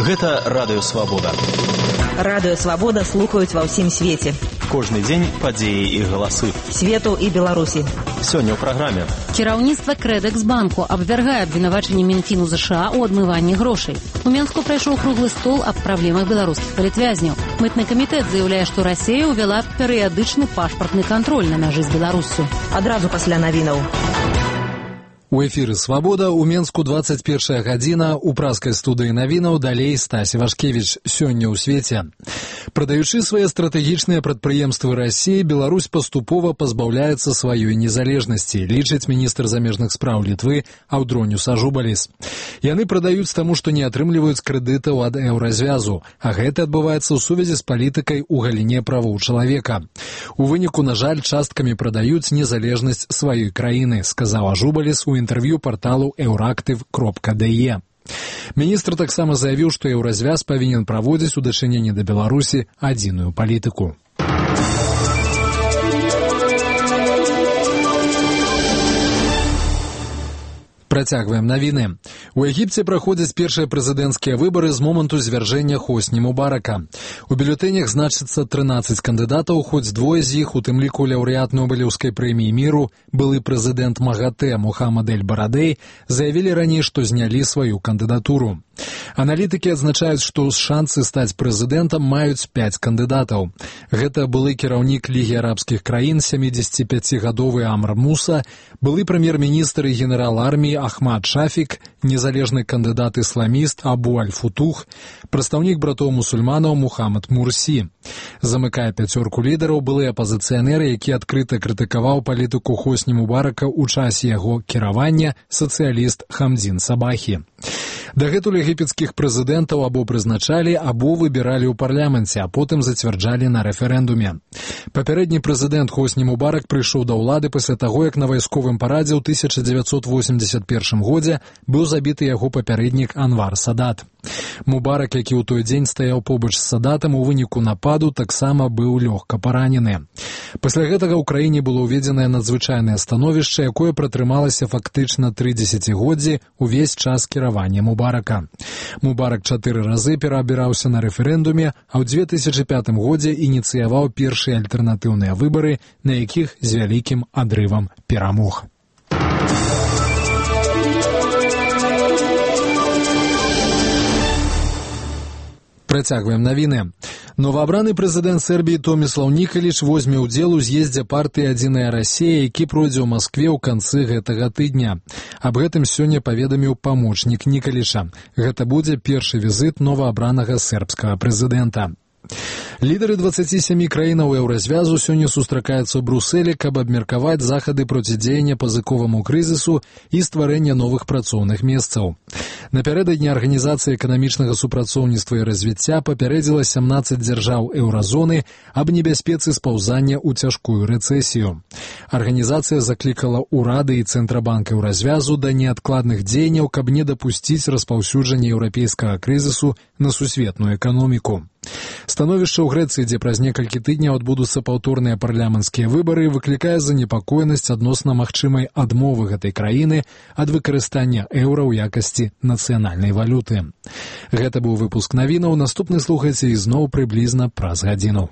Гэта Радыё Свабода. Радыё Свабода слухаюць ва ўсім свеце. Кожны дзень падзеі і галасы. Свету і Беларусі. Сёння ў праграме. Кіраўніцтва Крэдэксбанку абвяргае абвінавачанне Мінфіну ЗША ў адмыванні грошай. У Менску прайшоў круглы стол аб праблемах беларускіх палітвязняў. Мытны камітэт заяўляе, што Расія ўвяла перыядычны пашпартны кантроль на мяжы з Беларуссю. Адразу пасля навінаў. У эфіры «Свабода», у Менску 21 гадзіна, у праскай студыі навінаў далей Стась Вашкевіч. Сёння ў свеце. Прадаючы свае стратэгічныя прадпрыемствы Расіі, Беларусь паступова пазбаўляецца сваёй незалежнасці, лічыць міністр замежных спраў Літвы Аўдроніус Ажубаліс. Яны прадаюць таму, што не атрымліваюць крэдытаў ад еўразвязу, а гэта адбываецца ў сувязі з палітыкай у галіне правоў чалавека. У выніку, на жаль, часткамі прадаюць незалежнасць сваёй краіны, сказаў Ажубаліс у інтэрв'ю парталу euractiv.de. Міністр таксама заявіў, што еўразвяз павінен праводзіць у дачыненні да Беларусі адзіную палітыку. Працягваем навіны. У Егіпце праходзяць першыя прэзідэнцкія выбары з моманту звяржэння Хосні Мубарака. У бюлетэнях значыцца 13 кандыдатаў, хоць двое з іх, у тым ліку лаўрэат Нобелеўскай прэміі міру, былы прэзідэнт МАГАТЭ Мухаммад эль-Барадэй, заявілі раней, што знялі сваю кандыдатуру. Аналітыкі адзначаюць, што шансы стаць прэзідэнтам маюць 5 кандыдатаў. Гэта былы кіраўнік Лігі арабскіх краін, 75-гадовы Амр Муса, былы прэм'ер-міністр і генерал арміі Ахмад Шафік, незалежны кандыдат-ісламіст Абу Аль-Футух, прадстаўнік братоў мусульманаў Мухаммад Мурсі. Замыкае пяцёрку лідараў былы апазіцыянер, які адкрыта крытыкаваў палітыку Хосні Мубарака ў часе яго кіравання, сацыяліст Хамдзін Сабахі. Дагэтуль егіпецкіх прэзідэнтаў або прызначалі, або выбіралі ў парламенце, а потым зацвярджалі на рэферэндуме. Папярэдні прэзідэнт Хосні Мубарак прыйшоў да ўлады пасля таго, як на вайсковым парадзе ў 1981 годзе быў забіты яго папярэднік Анвар Садат. Мубарак, які ў той дзень стаяў побач з Садатам, у выніку нападу таксама быў лёгка паранены. Пасля гэтага ў краіне было ўведзенае надзвычайнае становішча, якое пратрымалася фактычна 3 дзесяцігоддзі увесь час кіравання Мубарака. Мубарак 4 разы пераабіраўся на рэферэндуме, а ў 2005 годзе ініцыяваў першыя альтэрнатыўныя выбары, на якіх з вялікім адрывам перамог. Працягваем навіны. Новаабраны прэзідэнт Сербіі Томіслаў Нікаліч возьме ўдзел у з'ездзе партыі «Адзіная Расія», які пройдзе ў Маскве ў канцы гэтага тыдня. Аб гэтым сёння паведаміў памочнік Нікаліча. Гэта будзе першы візіт новаабранага сербскага прэзідэнта. Лідары 27 краінаў еўразвязу сёння сустракаюцца ў Брусэлі, каб абмеркаваць захады процідзеяння пазыковаму крызісу і стварэння новых працоўных месцаў. Напярэдадні Арганізацыя эканамічнага супрацоўніцтва і развіцця папярэдзіла 17 дзяржаў еўразоны аб небяспецы спаўзання ў цяжкую рэцэсію. Арганізацыя заклікала ўрады і Цэнтрабанк еўразвязу да неадкладных дзеянняў, каб не дапусціць распаўсюджання еўрапейскага крызісу на сусветную эканоміку. Становішча ў Грэцыі, дзе праз некалькі тыдняў адбудуцца паўторныя парламенцкія выбары, выклікае занепакоенасць адносна магчымай адмовы гэтай краіны ад выкарыстання еўра ў якасці нацыянальнай валюты. Гэта быў выпуск навінаў. Наступны слухайце ізноў прыблізна праз гадзіну.